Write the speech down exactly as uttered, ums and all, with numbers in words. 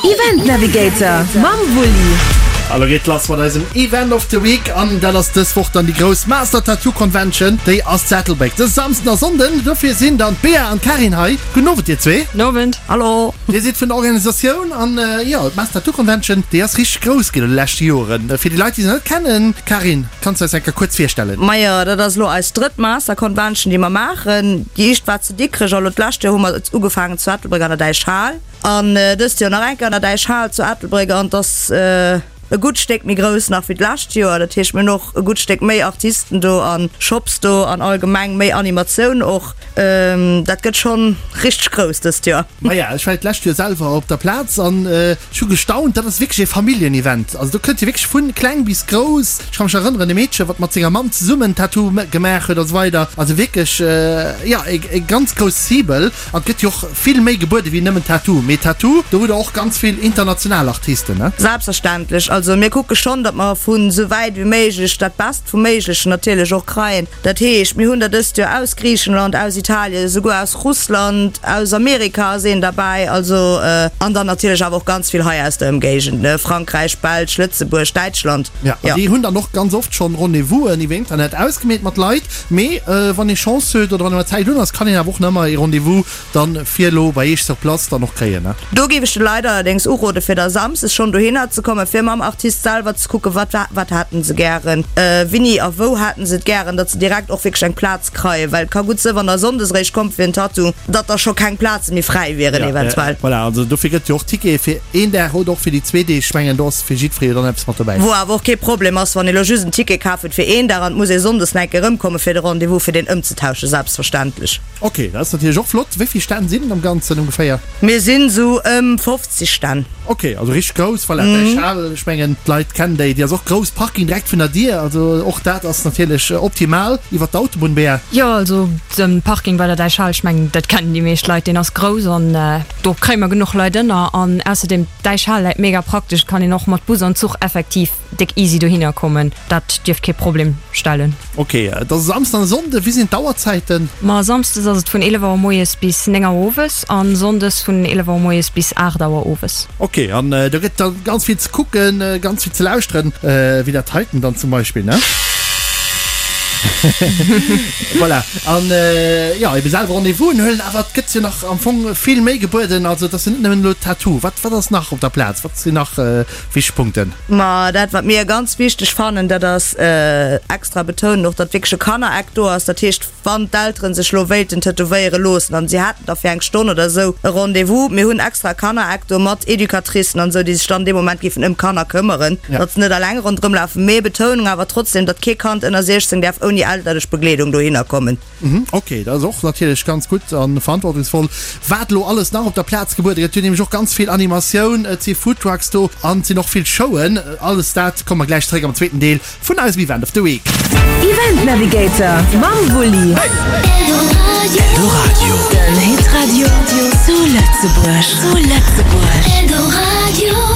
Event Navigator mam Wulli. A lo geet lass mat eisem Event of the Week an dat ass dës Woch dann déi grouss Master Tattoo Convention. Déi ass zu Ettelbréck de Samsden a Sonnden. Dofir sinn dann d'Bea an d'Karin hei. Gudden Owend dir zwee. Nowend. Hallo. Dir sidd vun der Organisatioun an jo, d'Master Tattoo Convention, déi ass richteg grouss ginn an de leschte Joren. Fir déi Leit, déi se net kennen, Karin, kanns du eis eng Kéier kuerz virstellen? Majo, dat ass elo eis drëtt Master Convention, déi mer maachen. Déi éischt war zu Dikrech a lo d'lescht Joer hu mer ugefaangen zu Ettelbréck an der Däichhal. An dëst Joer nach eng Kéier an der Däichhal zu Ettelbréck an et ass e gutt Stéck méi grouss nach wéi d'lescht Joer. Dat heescht, mir hunn och e gutt Stéck méi Artisten do a Shops do an allgemeng méi Animatioun och. Dat gëtt schonn richteg grouss dëst Joer. Maja, ech war d'lescht Joer selwer op der Plaz an ech hu gestaunt, dat ass wierklech ee Familljenevent. Also do kënnt jo wierklech vu kleng bis grouss. Ech ka mech erënneren, e Meedche wat mat senger Mamm zesummen Tattoo gemaach huet a sou weider. Also wierklech, jo, e ganz grouss Cible. An et gëtt jo och vill méi gebuede wéi nëmmen Tattoo. Mee Tattoo, do hutt der och ganz vill international Artisten, ne? Selbstverständlech. Also mir kucke schonn, datt mer vu sou wäit wéi méiglech dat Best vum Méiglechen natierlech och kreien. Dat heescht, mir hunn der dëst Joer aus Griichenland, aus Italien, esouguer aus Russland, aus Amerika ass een derbäi. Also, an dann natierlech awer och ganz vill hei aus der Ëmgéigend, ne, Frankräich, Belsch, Lëtzebuerg, Däitschland. Jo, an déi hunn dann och ganz oft schonn Rendez-vousen iwwer Internet ausgemeet mat Leit. Mee wann ee Chance huet oder wann ee mat Zäit un ass, kann een awer och nach ëmmer ee Rendez-vous dann fir elo bei Iech sur place dann och kréien, ne? Do géif ech de Leit allerdéngs urode fir da samsdes schonn dohinner ze kommen, fir mam Artist selwer ze kucken, wat wat hätten se gären, wini a wou hätten se et gären, datt se direkt och wierklech eng Plaz kreien, well et ka gutt sinn, wann der sonndes eréischt kommt fir en Tattoo, datt da scho keng Plaze méi fräi wieren eventuell. Voilà, also dofir gëtt jo och Tickete fir een Dag oder och fir déi zwee Deeg. Ech mengen do ass fir jiddweree jo dann eppes mat dobäi. Wou awer och kee Problem ass, wann ee lo just en Ticket kaf huet fir een Dag an et muss ee sonndes nach eng Kéier erëmkomme fir de Rendez-vous, fir deen ëmzetauschen, selbstverständlech. Ok, dat ass natierlech och flott. Wéi vill Stänn sinn et am Ganzen ongeféier? Mir sinn esou ëm fofzeg Stänn. Ok, also richteg grouss. Voilà, d'Däichhal, ech mengen d'Leit kennen déi, déi ass och grouss. Parking direkt vun der Dier, also och dat ass natierlech optimal. Iwwer d'Autobunn, Bea? Jo, also de Parking bei der Däichhal, ech mengen dat kennen déi meescht Leit, deen ass grouss an do kréie mer genuch Leit ënner. An ausserdeem, d'Däichhal läit mega praktesch, et kann een och mat Bus an Zuch effektiv déck easy dohinner kommen, dat dierft kee Problem stellen. Ok, et ass e Samsden an e Sonnde, wéi sinn d'Auerzäiten? Ma Samsdes ass et vun eelef Auer moies bis néng Auer owes an Sonndes vun eelef Auer moies bis aacht Auer owes. Ok, an do gëtt da ganz vill ze kucken, ganz vill ze lauschteren, wéi dat heiten dann zum Beispill, ne? Voilà, an jo, ebe selwer Rendez-vousen huelen, awer et gëtt jo nach am Fong vill méi gebueden, also et ass jo net nëmmen elo Tattoo. Wat, wat ass nach op der Plaz? Wat sinn nach wichteg Punkten? Ma dat, wat mir ganz wichteg fannen, dat ass extra betounen och, datt wierklech e Kannereck do ass. Dat heescht, wann d'Eltere sech elo wéilten tätowéiere loossen an si hätten da fir eng Stonn oder esou e Rendez-vous, mir hunn extra e Kannereck do mat Educatricen an esou, déi sech dann dee Moment géifen ëm d'Kanner këmmeren, datt se net eleng ronderëm lafen. Mee Betounung awer trotzdem, datt kee Kand ënner siechzéng däerf ouni elterlech Begleedung dohinner kommen. Ok, dat ass och natierlech ganz gutt a verantwortungsvoll. Wat elo alles nach op der Plaz gebuede gëtt, hunn nämlech och ganz vill Animatioun, et si Foodtrucks do an et sinn och vill Showen. Alles dat komme mer gläich zeréck am zweeten Deel vun eisem Event of the Week. Event Navigator mam Wulli. Eldoradio, den Hitradio zu Lëtzebuerg. Zu Lëtzebuerg. Eldoradio.